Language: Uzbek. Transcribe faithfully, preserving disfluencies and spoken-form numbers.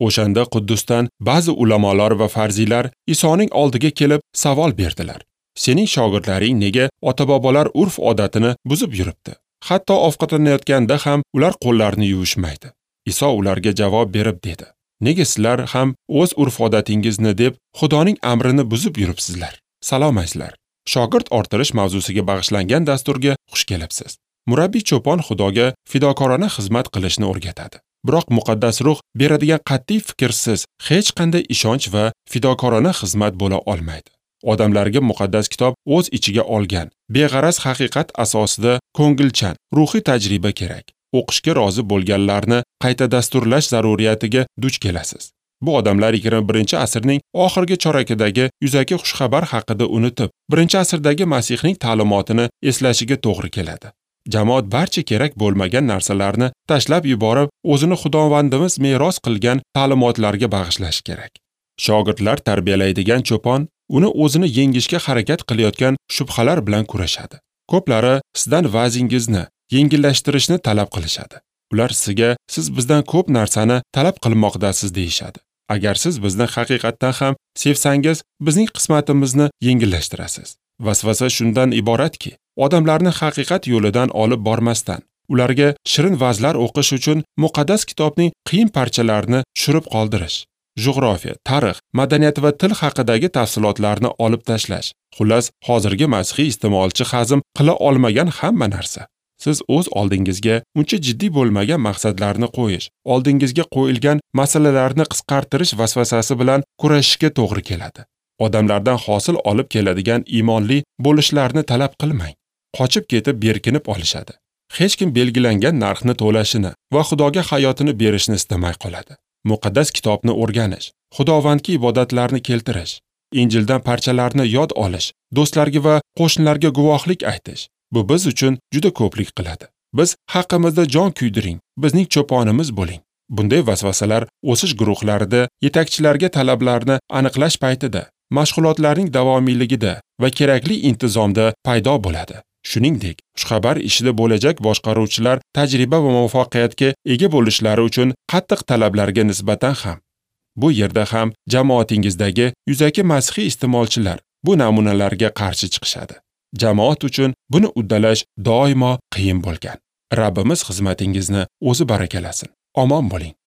O'shanda Quddusdan ba'zi ulamolar va farziylar Isoning oldiga kelib savol berdilar. Sening shogirdlaring nega ota-bobolar urf-odatini buzib yuribdi? Hatto ovqatlanayotganda ham ular qo'llarini yuvishmaydi. Iso ularga javob berib dedi: Nega sizlar ham o'z urf-odatingizni deb Xudoning amrini buzib yuribsizlar? Salomaysizlar. Shogird orttirish mavzusiga bag'ishlangan dasturga xush kelibsiz. Murabbiy cho'pon Xudoga fidokorona xizmat qilishni o'rgatadi. Biroq muqaddas ruh beradigan qat'iy fikrsiz hech qanday ishonch va fidokorona xizmat bo'la olmaydi. Odamlarga muqaddas kitob o'z ichiga olgan beg'araz haqiqat asosida ko'ngilchan ruhiy tajriba kerak. O'qishga rozi bo'lganlarni qayta dasturlash zaruriyatiga duch kelasiz. Bu odamlar yigirma birinchi asrning oxirgi chorakidagi yuzaki xushxabar haqida unutib, birinchi asrdagi Masihning ta'limotini eslashiga to'g'ri keladi. Jamoat barcha kerak bo'lmagan narsalarni tashlab yuborib, o'zini Xudovandimiz meros qilgan ta'limotlarga bag'ishlash kerak. Shogirdlar tarbiyalaydigan cho'pon uni o'zini yengishga harakat qilayotgan shubhalar bilan kurashadi. Ko'plari sizdan va'zingizni yengillashtirishni talab qilishadi. Ular sizga siz bizdan ko'p narsani talab qilmoqdasiz deyishadi. Agar siz bizni haqiqatdan ham sevsangiz, bizning qismatimizni yengillashtirasiz. Vasvasa shundan iboratki, odamlarni haqiqat yo'lidan olib bormasdan, ularga shirin va'zlar o'qish uchun muqaddas kitobning qiyin parchalarini tushirib qoldirish, jo'g'rofiya, tarix, madaniyat va til haqidagi tafsilotlarni olib tashlash. Xullas, hozirgi masihiy iste'molchi hazm qila olmagan hamma narsa. Siz o'z oldingizga uncha jiddiy bo'lmagan maqsadlarni qo'yish, oldingizga qo'yilgan masalalarni qisqartirish vasvasasi bilan kurashishga to'g'ri keladi. Odamlardan hosil olib keladigan iymonli bo'lishlarni talab qilmang. Qochib ketib berkinib olishadi. Hech kim belgilangan narxni to'lashini va Xudoga hayotini berishni istamay qoladi. Muqaddas kitobni o'rganish, Xudovandga ibodatlarni keltirish, Injildan parchalarni yod olish, do'stlarga va qo'shnilarga guvohlik aytish. Bu biz uchun juda ko'plik qiladi. Biz haqimizda jon kuydiring, bizning cho'ponimiz bo'ling. Bunday vasvasalar o'sish guruhlarida yetakchilarga talablarni aniqlash paytida, mashg'ulotlarning davomiyligida va kerakli intizomda paydo bo'ladi. Shuningdek, xushxabar ishida bo'lajak boshqaruvchilar tajriba va muvaffaqiyatga ega bo'lishlari uchun qattiq talablarga nisbatan ham. Bu yerda ham jamoatingizdagi yuzaki masihiy iste'molchilar bu namunalarga qarshi chiqishadi. Jamoat uchun buni uddalash doimo qiyin bo'lgan. Rabbimiz xizmatingizni o'zi barakalasin. Omon bo'ling.